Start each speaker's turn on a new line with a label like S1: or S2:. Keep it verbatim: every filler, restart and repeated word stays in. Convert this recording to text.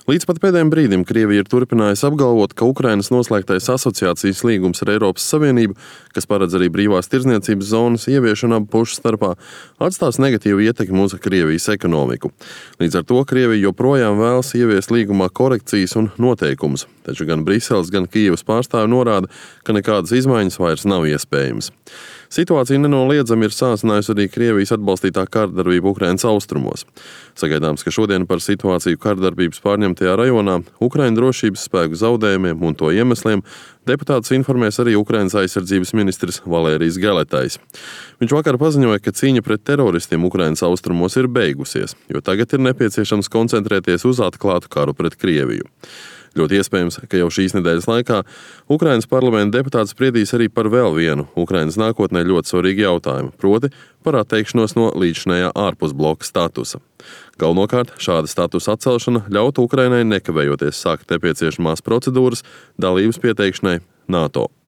S1: Līdz pat pēdējiem brīdim Krievija ir turpinājusi apgalvot, ka Ukrainas noslēgtais asociācijas līgums ar Eiropas Savienību, kas paredz arī brīvās tirdzniecības zonas ieviešanu abu pušu starpā, atstās negatīvu ietekmi uz Krievijas ekonomiku. Līdz ar to Krievija joprojām vēlas ieviest līgumā korekcijas un noteikumus, taču gan Briseles, gan Kijevas pārstāvi norāda, ka nekādas izmaiņas vairs nav iespējamas. Situācija nenoliedzami ir sāsinājusi arī Krievijas atbalstītā kārdarbība Ukrainas austrumos. Sagaidāms, ka šodien par situāciju kārdarbības pārņemtajā rajonā, Ukraiņu drošības spēku zaudējumiem un to iemesliem deputātus informēs arī Ukrainas aizsardzības ministrs Valērijs Geletais. Viņš vakar paziņoja, ka cīņa pret teroristiem Ukrainas austrumos ir beigusies, jo tagad ir nepieciešams koncentrēties uz atklātu karu pret Krieviju. Ļoti iespējams, ka jau šīs nedēļas laikā Ukrainas parlamenta deputāti spriedīs arī par vēl vienu Ukrainas nākotnē ļoti svarīgu jautājumu, proti par atteikšanos no līdzinējā ārpusbloka statusa. Galvenokārt šāda statusa atcelšana ļautu Ukrainai nekavējoties sākt nepieciešamās procedūras dalības pieteikšanai NATO.